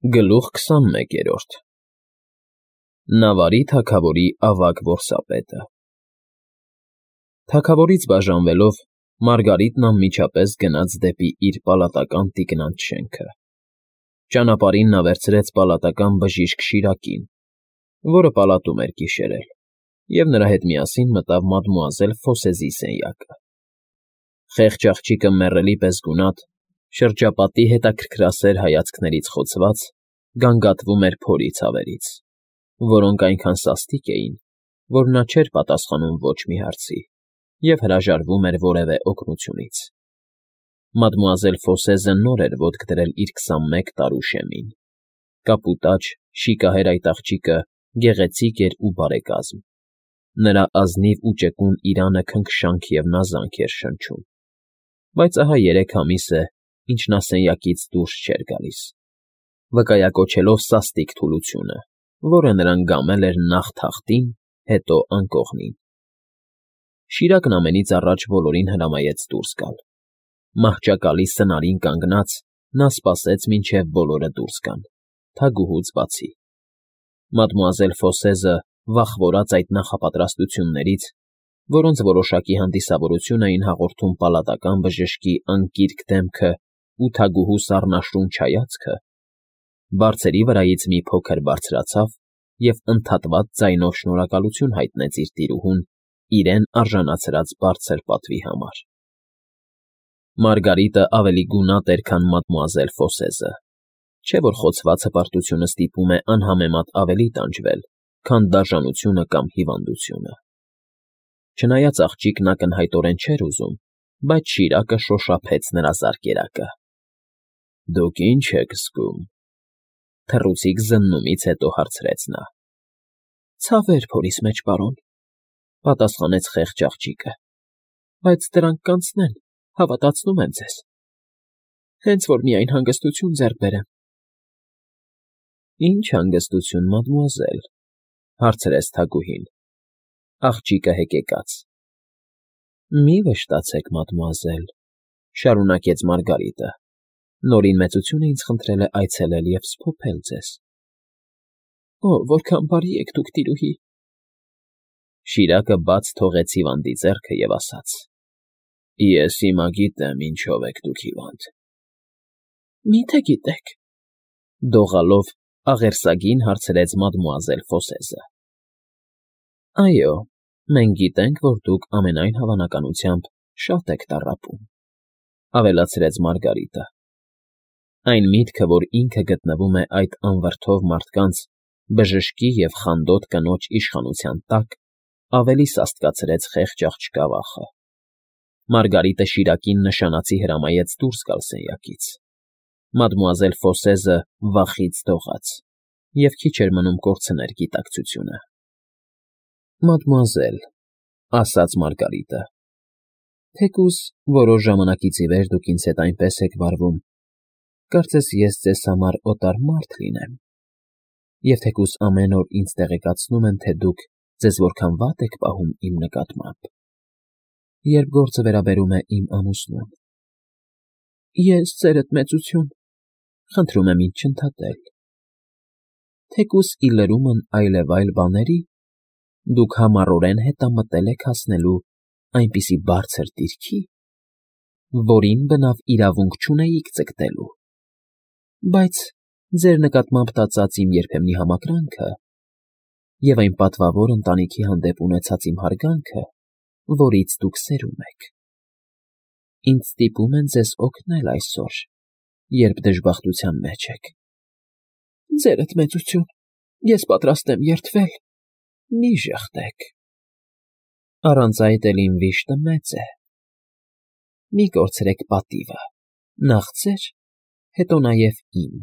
Գլուխ 21 Նավարի թագավորի ավագ որսապետը Թագավորից բաժանվելով, Մարգարիտն անմիջապես գնաց դեպի իր պալատական տիկնանց շենքը. ճանապարհին նա վերցրեց պալատական բժիշկ Շիրակին, որը պալատում էր գիշերել, և նրա հետ միասին մտավ մադմուազել Ֆոսեզի սենյակը. խեղճ աղջիկը մեռելի պես գունատ, շրջապատի հետաքրքրասեր հայացքներից խոցված, գանգատվում էր փորի ցավերից, որոնք այնքան սաստիկ էին, որ նա չէր պատասխանում ոչ մի հարցի և հրաժարվում էր որևէ օգնությունից. մադմուազել Ֆոսեզը նոր էր ոտք դրել իր 21 տարու շեմին, կապուտաչ, շիկահեր այդ աղջիկը գեղեցիկ էր ու բարեկազմ, նրա ազնիվ ու ճկուն իրանը քնքշանք և նազանք էր շնչում, բայց ահա 3 ամիս է, ինչ նա սենյակից դուրս չէր գալիս, վկայակոչելով սաստիկ թուլությունը, որը նրան գամել էր նախ թախտին, հետո անկողնին. Շիրակն ամենից առաջ բոլորին հրամայեց դուրս գալ. մահճակալի սնարին կանգնած, նա սպասեց, մինչև բոլորը դուրս գան, թագուհուց բացի. մադմուազել Ֆոսեզը, վախվորած այդ նախապատրաստություններից, որոնց որոշակի հանդիսավորություն էին հաղորդում պալատական բժշկի անկիրք դեմքն ու թագուհու սառնաշունչ հայացքը, բարձերի վրայից մի փոքր բարձրացավ և ընդհատված ձայնով շնորհակալություն հայտնեց իր տիրուհուն իրեն արժանացրած բարձր պատվի համար. Մարգարիտը ավելի գունատ էր, քան մադմուազել Ֆոսեզը, չէ՞ որ խոցված հպարտությունը ստիպում է անհամեմատ ավելի տանջվել, քան դաժանությունը կամ հիվանդությունը. չնայած աղջիկն ակնհայտորեն չէր ուզում, բայց Շիրակը շոշափեց նրա զարկերակը. դուք ի՞նչ եք զգում, թռուցիկ զննումից հետո հարցրեց նա. ցավեր փորիս մեջ, պարոն, պատասխանեց խեղճ աղջիկը, բայց դրանք կանցնեն, հավատացնում եմ ձեզ, հենց որ միայն հանգստություն ձեռք բերեմ։ Ինչ հանգստություն, մադմուազել, հարցրեց թագուհին, աղջիկը հեկեկաց. մի վշտացեք, մադմուազել, շարունակեց Մարգարիտը, նորին մեծությունը ինձ խնդրել է այցելել և սփոփել ձեզ։ Օ, որքան բարի եք դուք, տիրուհի։ Շիրակը բաց թողեց հիվանդի ձեռքը և ասաց. ես հիմա գիտեմ, ինչով եք դուք հիվանդ։ Մի՞թե գիտեք, դողալով աղերսագին հարցրեց մադմուազել Ֆոսեզը։ Այո, մենք գիտենք, որ դուք ամենայն հավանականությամբ շատ եք տառապում, ավելացրեց Մարգարիտը. այն միտքը, որ ինքը գտնվում է այդ անվրդով մարդկանց, բժշկի և խանդոտ կնոջ իշխանության տակ, ավելի սաստկացրեց խեղճ աղջկա վախը։ Մարգարիտը Շիրակին նշանածի հրամայեց դուրս գալ սենյակից. մադմուազել Ֆոսեզը վախից դողաց և քիչ էր մնում կորցներ գիտակցությունը։ Մադմուազել, ասաց Մարգարիտը, թեկուզ որոշ ժամանակից ի վեր դուք ինձ հետ այնպես եք վարվում, կարծես ես ձեզ համար օտար մարդ լինեմ, և թեկուզ ամեն օր ինձ տեղեկացնում են, թե դուք ձեզ որքան վատ եք պահում իմ նկատմամբ, երբ գործը վերաբերում է իմ ամուսնուն։ Ես ձերդ մեծություն, խնդրում եմ ինձ չընդհատել։ Թեկուզ ի լրումն այլևայլ բաների, դուք համառորեն հետամտել եք հասնելու այնպիսի բարձր դիրքի, որին բնավ իրավունք չունեիք ձգտելու, բայց ձեր նկատմամբ տածած իմ երբեմնի համակրանքը և այն պատվավոր ընտանիքի հանդեպ ունեցած իմ հարգանքը, որից դուք սերում եք, ինձ ստիպում են ձեզ օգնել այսօր, երբ դժբախտության մեջ եք։ Ձերդ մեծություն, ես պատրաստ եմ երդվել, մի ժխտեք։ Առանց այդ էլ իմ վիշտը մեծ է։ Մի կորցրեք պատիվը, նախ ձեր, հետո նաև իմ,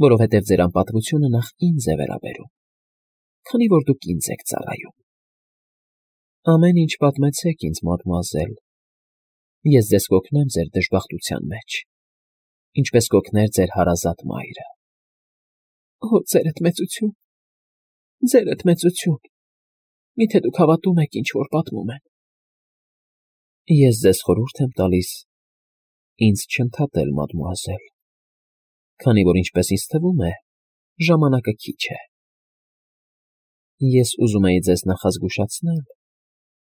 որովհետև ձեր անպատվությունը նախ ինձ է վերաբերում, քանի որ դուք ինձ եք ծառայում։ Ամեն ինչ պատմեցեք ինձ, մադմուազել, ես ձեզ կօգնեմ ձեր դժբախտության մեջ, ինչպես կօգներ ձեր հարազատ մայրը։ Օ, ձերդ մեծություն, միթե դուք հավատում եք, ինչ որ պատմում են։ Ես ձեզ խորհուրդ եմ տալիս ինձ չընդհատել, մադմուազել, քանի որ ինչպես ինձ թվում է, ժամանակը քիչ է։ Ես ուզում էի ձեզ նախազգուշացնել,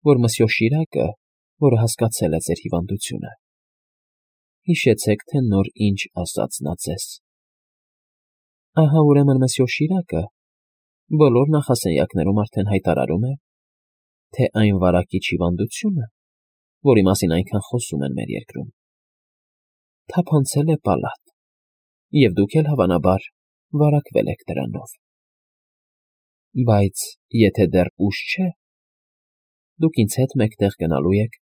որ Մսյո Շիրակը, որը հասկացել է ձեր հիվանդությունը, հիշեցեք, թե նոր ինչ ասաց նա ձեզ։ Ահա ուրեմն Մսյո Շիրակը բոլոր նախասենյակներում արդեն հայտարարում է, թե այն վարակիչ հիվանդությունը, որի մասին այնքան խոսում են մեր երկրում, թափանցել է պալատ, և դուք էլ, հավանաբար, վարակվել եք դրանով։ Բայց եթե դեռ ուշ չէ, դուք ինձ հետ մեկտեղ գնալու եք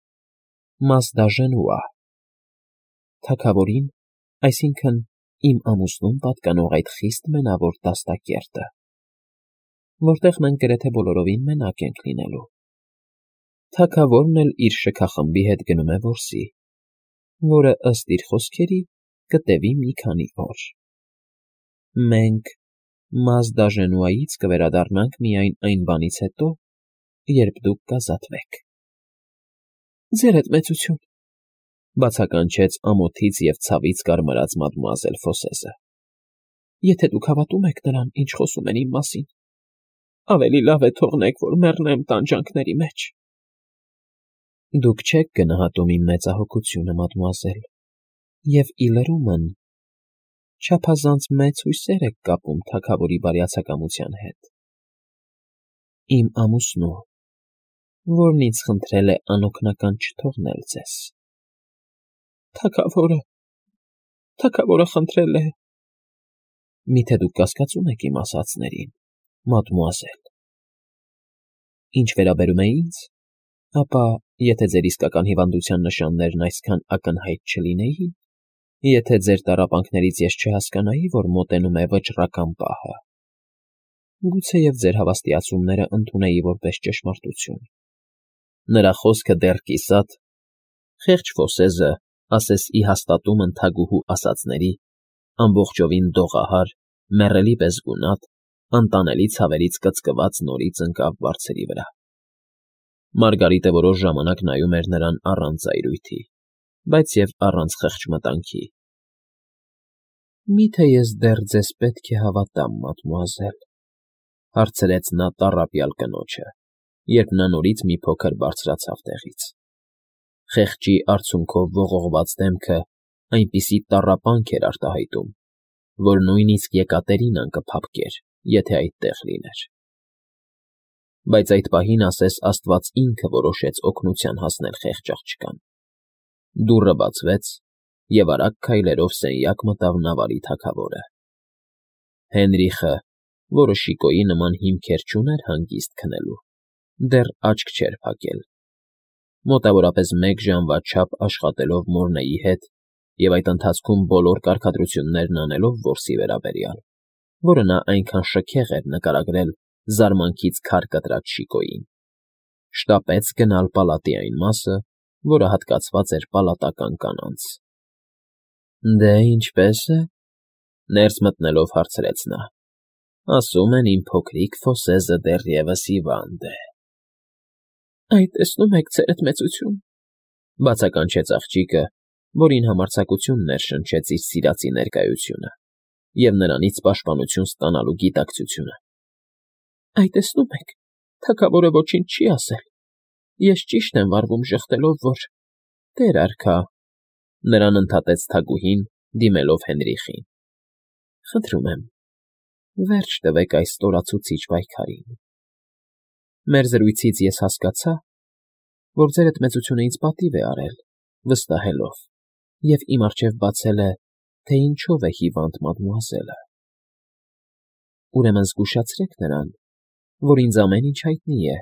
Մազդաժենուա, թագավորին, այսինքն իմ ամուսնուն պատկանող այդ խիստ մենավոր դաստակերտը, որտեղ մենք գրեթե բոլորովին մենակ ենք լինելու։ Թագավորն էլ իր շքախմբի հետ գնում է որսի, որը, ըստ իր խոսքերի, կտևի մի քանի օր։ Մենք Մազդաժենուայից կվերադառնանք միայն այն բանից հետո, երբ դուք կազատվեք։ Ձեր հետ մեծություն, բացականչեց ամոթից և ցավից կարմրած մադմուազել Ֆոսեզը։ Եթե դուք հավատում եք նրան, ինչ խոսում են իմ մասին, ավելի լավ է թողնեք, որ մեռնեմ տանջանքների մեջ։ Դուք չեք գնահատում իմ մեծահոգությունը, մադմուազել, և ի լրումն չափազանց մեծ հույսեր եք կապում թագավորի բարյացակամության հետ։ Իմ ամուսնու, որն ինձ խնդրել է անօգնական չթողնել ձեզ։ Թագավորը խնդրել է… Միթե դուք կասկածում եք իմ ասածներին, մադմուազել։ Ինչ վերաբերում է ինձ, ապա, եթե ձեր իսկական հիվանդության նշաններն այսքան ակնհայտ չլինեին, եթե ձեր տառապանքներից ես չհասկանայի, որ մոտենում է վճռական պահը, գուցեև ձեր հավաստիացումները ընդունեի որպես ճշմարտություն։ Նրա խոսքը դեռ կիսատ, խեղճ Ֆոսեզը, ասես ի հաստատումն թագուհու ասածների, ամբողջովին դողահար, մեռելի պես գունատ, անտանելի ցավերից կծկված նորից ընկավ բարձրի վրա։ Մարգարիտը որոշ ժամանակ նայում էր նրան առանց զայրույթի, բայց և առանց խղճմտանքի։ Մի՞թե ես դեռ ձեզ պետք է հավատամ, մադմուազել, հարցրեց նա տառապյալ կնոջը, երբ նա նորից մի փոքր բարձրացավ տեղից։ Խեղճի արցունքով ողողված դեմքը այնպիսի տառապանք էր արտահայտում, որ նույնիսկ Եկատերինան կփափկեր, եթե այդտեղ լիներ։ Բայց այդ պահին ասես Աստված ինքը որոշեց օգնության հասնել խեղճ աղջկան։ Դուռը բացվեց, և արագ քայլերով սենյակ մտավ նավարի թագավորը։ Հենրիխը, որը Շիկոյի նման հիմքեր չուներ հանգիստ քնելու, դեռ աչք չէր փակել։ Մոտավորապես 1 ժամվա չափ աշխատելով Մորնեի հետ և այդ ընթացքում բոլոր կարգադրություններն անելով որսի վերաբերյալ, որը նա այնքան շքեղ էր նկարագրել զարմանքից քար կտրած Շիկոյին, շտապեց գնալ պալատի այն մասը, որը հատկացված էր պալատական կանանց։ Դե, ինչպե՞ս է,֊ ներս մտնելով հարցրեց նա։ Ասում են իմ փոքրիկ Ֆոսեզը դեռևս հիվանդ է։ Այդ տեսնում եք, ձերդ մեծություն,֊ բացականչեց աղջիկը, որին համարձակություն ներշնչեց իր սիրածի ներկայությունը և նրանից պաշտպանություն ստանալու գիտակցությունը։ Այդ տեսնում եք, թագավորը ոչինչ չի ասել։ Ես ճիշտ եմ վարվում ժխտելով, որ… Տեր արքա,֊ նրան ընդհատեց թագուհին, դիմելով Հենրիխին։ Խնդրում եմ, վերջ տվեք այս ստորացուցիչ պայքարին։ Մեր զրույցից ես հասկացա, որ ձերդ մեծությունը ինձ պատիվ է արել, վստահելով, և իմ առջև բացել է, թե ինչով է հիվանդ մադմուազելը։ Ուրեմն զգուշացրեք նրան, որ ինձ ամեն ինչ հայտնի է,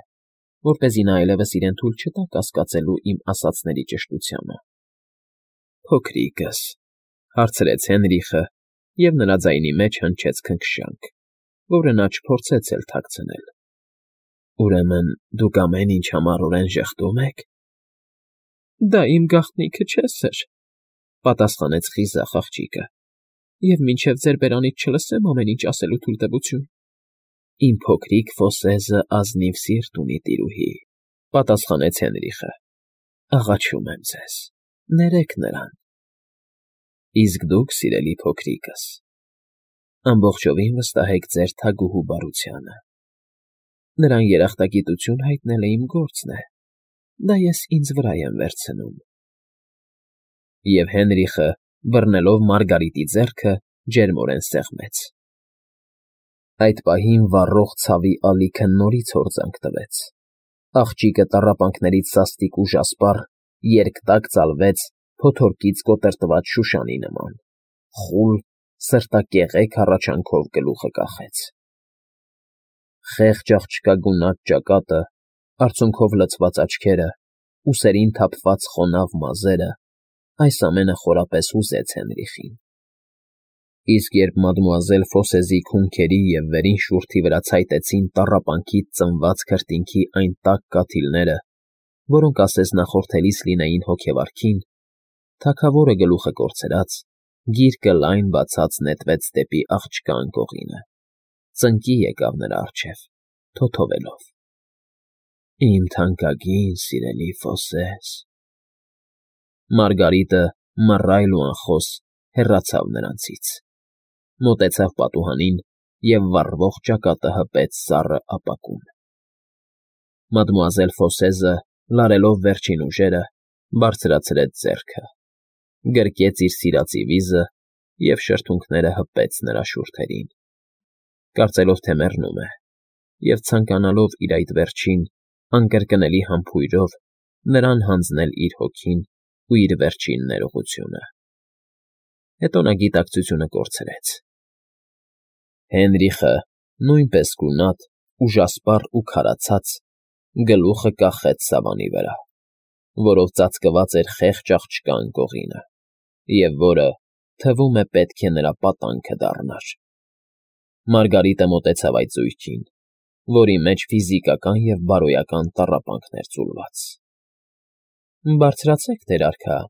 որպեսզի նա այլևս իրեն թույլ չտա կասկածելու իմ ասածների ճշտությանը։ Փոքրիկս,֊ հարցրեց Հենրիխը, և նրա ձայնի մեջ հնչեց քնքշանք, որը նա չփորձեց էլ թաքցնել։ Ուրեմն դուք ամեն ինչ համառորեն ժխտում եք։ Դա իմ գաղտնիքը չէ, սըր,֊ պատասխանեց խիզախ աղջիկը, և մինչև ձեր բերանից չլսեմ ամեն ինչ ասելու թույլտվություն։ Իմ փոքրիկ Ֆոսեզը ազնիվ սիրտ ունի, տիրուհի,֊ պատասխանեց Հենրիխը։ Աղաչում եմ ձեզ, ներեք նրան։ Իսկ դուք, սիրելի փոքրիկս, ամբողջովին վստահ եք ձեր թագուհու բարությանը. նրան երախտագիտություն հայտնելը իմ գործն է, դա ես ինձ վրա եմ վերցնում։ Եվ Հենրիխը, բռնելով Մարգարիտի ձեռքը, ջերմորեն սեղմեց։ Այդ պահին վառող ցավի ալիքը նորից հորձանք տվեց։ Աղջիկը տառապանքներից սաստիկ ուժասպառ, երկտակ ծալվեց փոթորկից կոտրտված շուշանի նման, խուլ, սրտակեղեք հառաչանքով գլուխը կախեց։ Խեղճ աղջկա գունատ ճակատը, արցունքով լցված աչքերը, ուսերին թափված խոնավ մազերը, այս ամենը խորապես հուզեց Հենրիխին։ Իսկ երբ մադմուազել Ֆոսեզի քունքերի և վերին շուրթի վրա ցայտեցին տառապանքից ծնված քրտինքի այն տաք կաթիլները, որոնք ասես նախորդելիս լինեին հոգեվարքին, թագավորը գլուխը կորցրած, գիրկը լայն բացած նետվեց դեպի աղջկա անկողինը, ծնկի եկավ նրա առջև, թոթովելով. Իմ թանկագին սիրելի Ֆոսես… Մարգարիտը, մռայլ ու անխոս, հեռացավ նրանցից, մոտեցավ պատուհանին և վառվող ճակատը հպեց սառը ապակուն։ Մադմուազել Ֆոսեզը, լարելով վերջին ուժերը, բարձրացրեց ձեռքը, գրկեց իր սիրածի վիզը և շրթունքները հպեց նրա շուրթերին, կարծելով, թե մեռնում է, և ցանկանալով իր այդ վերջին, անկրկնելի համբույրով նրան հանձնել իր հոգին ու իր վերջին ներողությունը։ Հետո նա գիտակցությունը կորցրեց։ Հենրիխը, նույնպես գունատ, ուժասպառ ու քարացած, գլուխը կախեց սավանի վրա, որով ծածկված էր խեղճ աղջկա անկողինը, և որը, թվում է, պետք է նրա պատանքը դառնար։ Մարգարիտը մոտեցավ այդ զույգին, որի մեջ ֆիզիկական և բարոյական տառապանքն էր ձուլված։ Բարձրացեք, տեր արքա,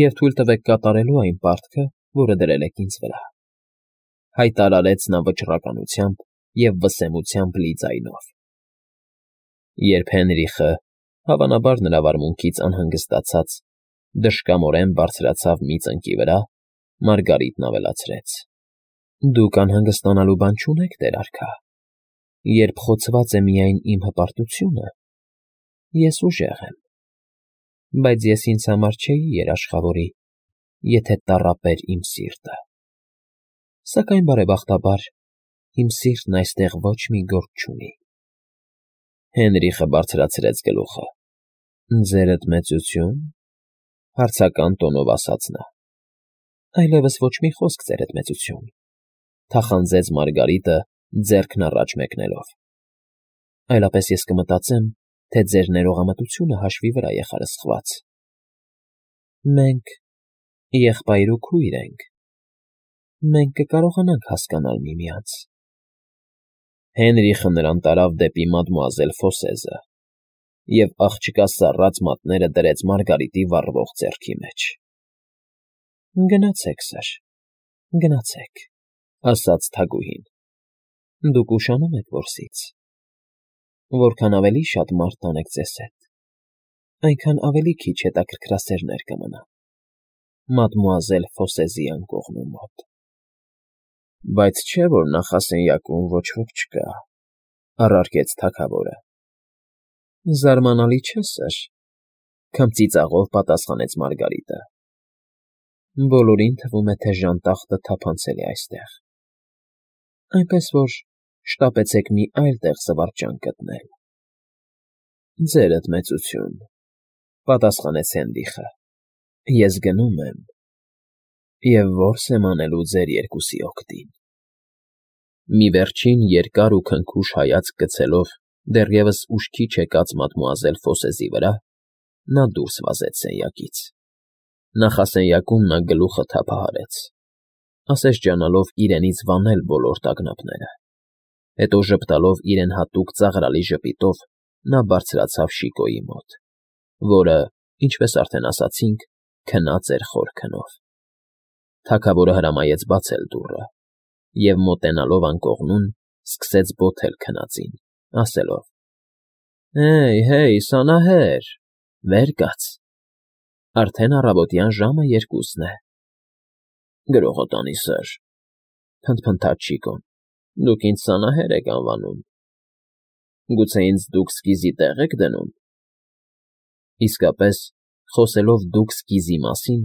և թույլ տվեք կատարելու այն պարտքը, որը դրել եք ինձ վրա, հայտարարեց նա վճռականությամբ և վսեմությամբ լի ձայնով։ Երբ Հենրիխը, հավանաբար նրա վարմունքից անհանգստացած, դժկամորեն բարձրացավ մի ծնկի վրա, Մարգարիտն ավելացրեց. Դուք անհանգստանալու բան չունեք, տեր արքա, երբ խոցված է միայն իմ հպարտությունը, ես ուժեղ եմ, բայց ես ինձ համար չէի երաշխավորի, եթե տառապեր իմ սիրտը։ Սակայն, բարեբախտաբար, իմ սիրտն այստեղ ոչ մի գործ չունի։ Հենրիխը բարձրացրեց գլուխը։ Ձերդ մեծություն, հարցական տոնով ասաց նա։ Այլևս ոչ մի խոսք, ձերդ մեծություն, թախանձեց Մարգարիտը, ձեռքն առաջ մեկնելով։ Այլապես ես կմտածեմ, թե ձեր ներողամտությունը հաշվի վրա է խարսխված։ Մենք եղբայր ու քույր ենք, մենք կկարողանանք հասկանալ միմյանց։ Հենրիխը նրան տարավ դեպի մադմուազել Ֆոսեզը և աղջկա սառած մատները դրեց Մարգարիտի վառվող ձեռքի մեջ։ Գնացեք, սըր, գնացեք, ասաց թագուհին, դուք ուշանում եք որսից։ Որքան ավելի շատ մարդ տանեք ձեզ հետ, այնքան ավելի քիչ հետաքրքրասերներ կմնան մադմուազել Ֆոսեզի անկողնու մոտ։ Բայց չէ՞ որ նախասենյակում ոչ ոք չկա, առարկեց թագավորը։ Զարմանալի չէ, սըր, քմծիծաղով պատասխանեց Մարգարիտը։ Բոլորին թվում է, թե ժանտախտը թափանցել է այստեղ, այնպես որ շտապեցեք մի այլ տեղ զվարճան գտնել։ Ձերդ մեծություն, պատասխանեց Հենրիխը, ես գնում եմ և որս եմ անելու ձեր երկուսի օգտին։ Մի վերջին երկար ու քնքուշ հայացք գցելով դեռևս ուշքի չեկած մադմուազել Ֆոսեզի վրա, նա դուրս վազեց սենյակից։ Նախասենյակում նա գլուխը թափահարեց, ասես ջանալով իրենից վանել բոլոր տագնապները։ Հետո ժպտալով իրեն հատուկ ծաղրալի ժպիտով նա բարձրացավ Շիկոյի մոտ, որը, ինչպես արդեն ասացինք, քնած էր խոր քնով։ Թագավորը հրամայեց բացել դուռը և, մոտենալով անկողնուն, սկսեց բոթել քնածին, ասելով. Հեյ, սանահեր, վեր կաց, արդեն առավոտյան ժամը 2-ն է, Գրողոտանի սըր, փնթփնթաց Շիկոն, դուք ինձ սանահեր եք անվանում, գուցե ինձ դուք սկիզի տեղ եք դնում։ Իսկապես, խոսելով դուք սկիզի մասին,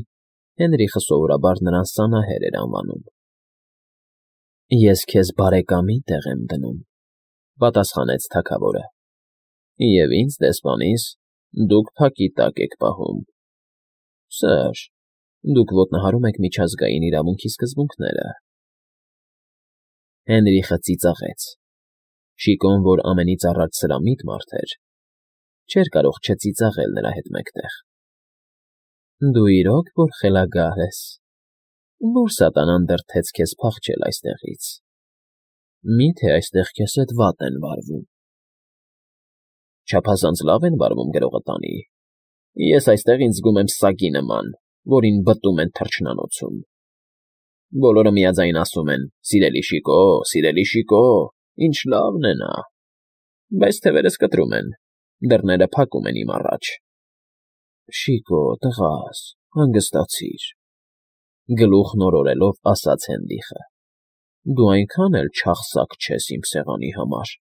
Հենրիխը սովորաբար նրան սանահեր էր անվանում։ Ես քեզ բարեկամի տեղ եմ դնում, պատասխանեց թագավորը, և ինձ դեսպանիս դուք փակի տակ եք պահում։ Սըր, դուք ոտնահարում եք միջազգային իրավունքի սկզբունքները։ Հենրիխը ծիծաղեց։ Շիկոն, որ ամենից առաջ սրամիտ մարդ էր, չէր կարող չծիծաղել նրա հետ մեկտեղ։ Դու իրոք որ խելագար ես, որ սատանան դրդեց քեզ փախչել այստեղից։ Մի՞թե այստեղ քեզ հետ վատ են վարվում։ Չափազանց լավ են վարվում գրողտանի։ Ես այստեղ ինձ զգում եմ սագի նման, որին բտում են թռչնանոցում։ Բոլորը միաձայն ասում են. «Սիրելի Շիկո, ինչ լավն է նա», բայց թևերս կտրում են, դռները փակում են իմ առաջ։ Շիկո, տղաս, հանգստացիր, գլուխ նորորելով ասաց Հենրիխը։ Դու այնքան էլ չախսակ չես իմ սեղանի համար։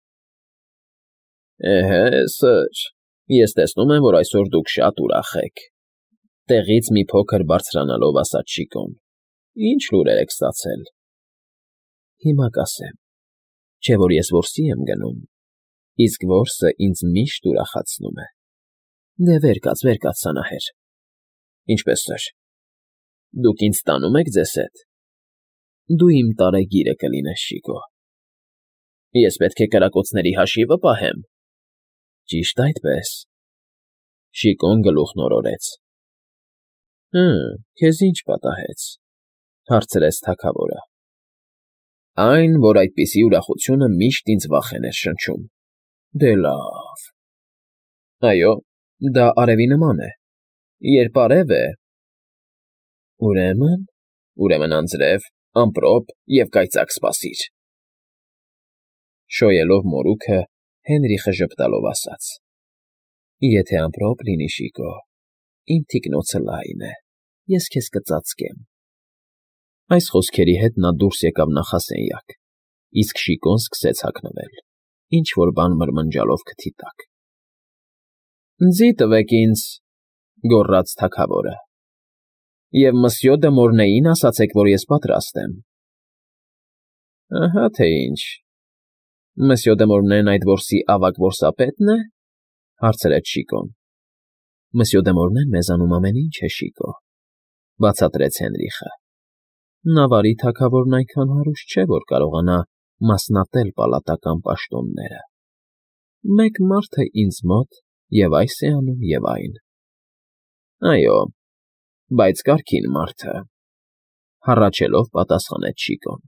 Էհե, սըր, ես տեսնում եմ, որ այսօր դուք շատ ուրախ եք, տեղից մի փոքր բարձրանալով ասաց Շիկոն։ Ինչ լուրեր եք ստացել։ Հիմա կասեմ, չէ որ ես որսի եմ գնում, իսկ որսը ինձ միշտ ուրախացնում է։ Դե վեր կաց սանահեր։ Ինչպես սըր։ Դուք ինձ տանում եք ձեզ հետ։ Դու իմ տարեգիրը կլինես, Շիկո։ Ես պետք է կրակոցների հաշիվը պահեմ։ Ճիշտ այդպես։ Շիկոն գլուխ նորորեց։ Քեզ ինչ պատահեց, հարցրեց թագավորը։ Այն, որ այդպիսի ուրախությունը միշտ ինձ վախեն էր շնչում։ Դե լավ։ Այո, դա արևի նման է։ Երբ արև է… Ուրեմն անձրև, ամպրոպ և կայծակ սպասիր։ Շոյելով մորուքը, Հենրիխը ժպտալով ասաց. Եթե ամպրոպ լինի, Շիկո, իմ թիկնոցը լայն է, ես քեզ կծածկեմ։ Այս խոսքերի հետ նա դուրս եկավ նախասենյակ, իսկ Շիկոն սկսեց հագնվել, ինչ֊որ բան մրմնջալով քթի տակ։ Ձի տվեք ինձ, գոռաց թագավորը, և Մսյո դը Մորնեին ասացեք, որ ես պատրաստ եմ։ Ահա թե ինչ։ Մսյո դը Մորնեն այդ որսի ավագ որսապետն է, հարցրեց Շիկոն։ Մսյո դը Մորնեն մեզանում ամեն ինչ է, Շիկո, բացատրեց Հենրիխը։ Նավարի թագավորն այնքան հարուստ չէ, որ կարողանա մասնատել պալատական պաշտոնները։ Մեկ մարդ է ինձ մոտ և այս է անում և այն։ Այո, բայց կարգին մարդը, հառաչելով պատասխանեց Շիկոն։